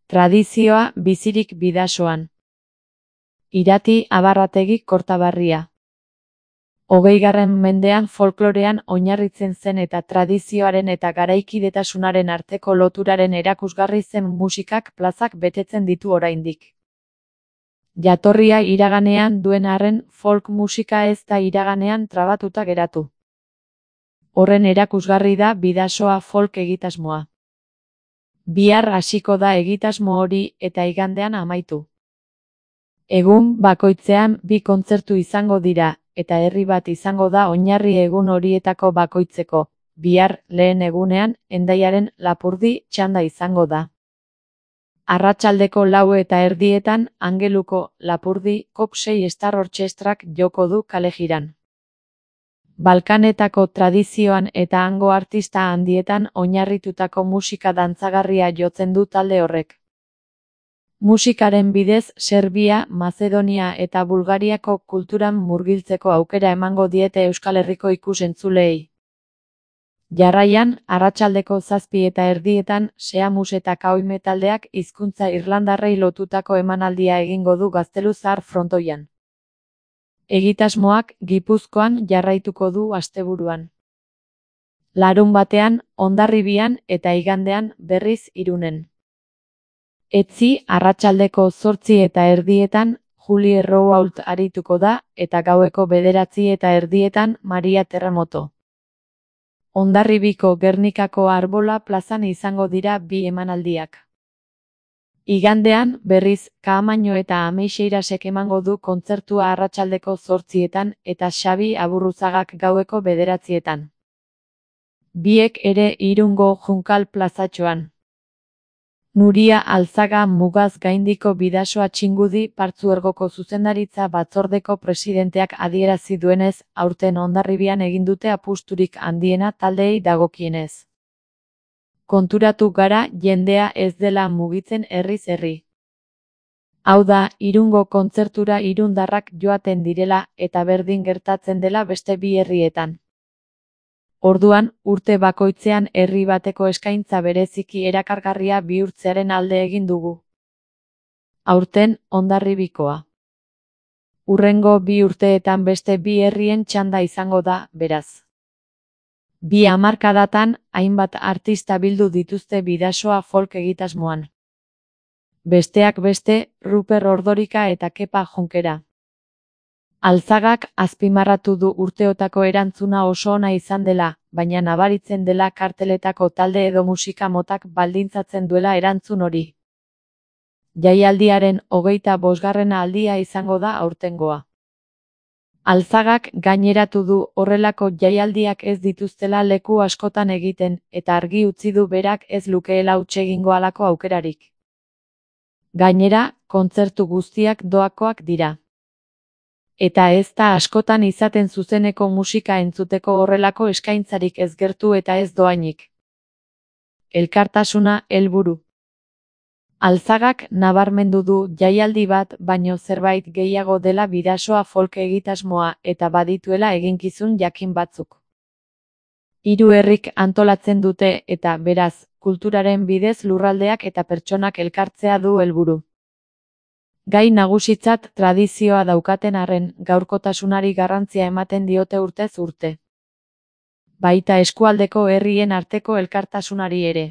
Tradizioa bizirik Bidasoan. Irati Abarrategi Kortaberria. 20. mendean folklorean oinarritzen zen eta tradizioaren eta garaikidetasunaren arteko loturaren erakusgarri zen musikak plazak betetzen ditu oraindik. Jatorria iraganean duen arren, folk musika ez da iraganean trabatuta geratu. Horren erakusgarri da Bidasoa folk egitasmoa. Bihar hasiko da egitasmo hori eta igandean amaitu. Egun bakoitzean 2 kontzertu izango dira, eta herri bat izango da oinarri egun horietako bakoitzeko. Bihar, lehen egunean, Hendaiaren Lapurdi txanda izango da. Arratsaldeko 4:30 Angeluko Lapurdi Kop 6 Star Orchestrak joko du kalejiran. Balkanetako tradizioan eta hango artista handietan oinarritutako musika dantzagarria jotzen du talde horrek. Musikaren bidez Serbia, Mazedonia eta Bulgariako kulturan murgiltzeko aukera emango diete Euskal Herriko ikus-entzuleei. Jarraian, arratsaldeko 7:30 Seamus eta Kaoime taldeak hizkuntza irlandarrei lotutako emanaldia egingo du Gaztelu Zahar frontoian. Egitasmoak Gipuzkoan jarraituko du asteburuan. Larunbatean, Hondarribian eta igandean berriz Irunen. Etzi arratsaldeko 8:30 Julie Roault arituko da eta gaueko 9:30 Maria Terremoto. Hondarribiko Gernikako Arbola plazan izango dira 2 emanaldiak. Igandean, berriz, Kaamaino eta Ameixeirasek emango du kontzertua arratsaldeko 8:00 eta Xabi Aburruzagak gaueko 9:00. Biek ere Irungo Junkal plazatxoan. Nuria Alzaga Mugaz gaindiko Bidasoa Txingudi Partzuergoko zuzendaritza batzordeko presidenteak adierazi duenez, aurten Hondarribian egin dute apusturik handiena taldeei dagokienez. Konturatu gara jendea ez dela mugitzen herriz herri. Hau da, Irungo kontzertura irundarrak joaten direla eta berdin gertatzen dela beste 2 herrietan. Orduan, urte bakoitzean herri bateko eskaintza bereziki erakargarria bihurtzearen alde egin dugu. Aurten, Hondarribikoa. Hurrengo 2 urteetan beste 2 herrien txanda izango da, beraz. 2 hamarkadatan, hainbat artista bildu dituzte Bidasoa folk egitasmoan. Besteak beste, Ruper Ordorika eta Kepa Jonkera. Alzagak azpimarratu du urteotako erantzuna oso ona izan dela, baina nabaritzen dela karteletako talde edo musika motak baldintzatzen duela erantzun hori. Jaialdiaren 25. aldia izango da aurtengoa. Alzagak gaineratu du horrelako jaialdiak ez dituztela leku askotan egiten, eta argi utzi du berak ez lukeela huts egingo halako aukerarik. Gainera, kontzertu guztiak doakoak dira. Eta ez da askotan izaten zuzeneko musika entzuteko horrelako eskaintzarik ez gertu eta ez doainik. Elkartasuna helburu. Alzagak nabarmendu du jaialdi bat baino zerbait gehiago dela Bidasoa folk egitasmoa eta badituela eginkizun jakin batzuk. 3 herrik antolatzen dute eta, beraz, kulturaren bidez lurraldeak eta pertsonak elkartzea du helburu. Gai nagusitzat tradizioa daukaten arren, gaurkotasunari garrantzia ematen diote urtez urte. Baita eskualdeko herrien arteko elkartasunari ere.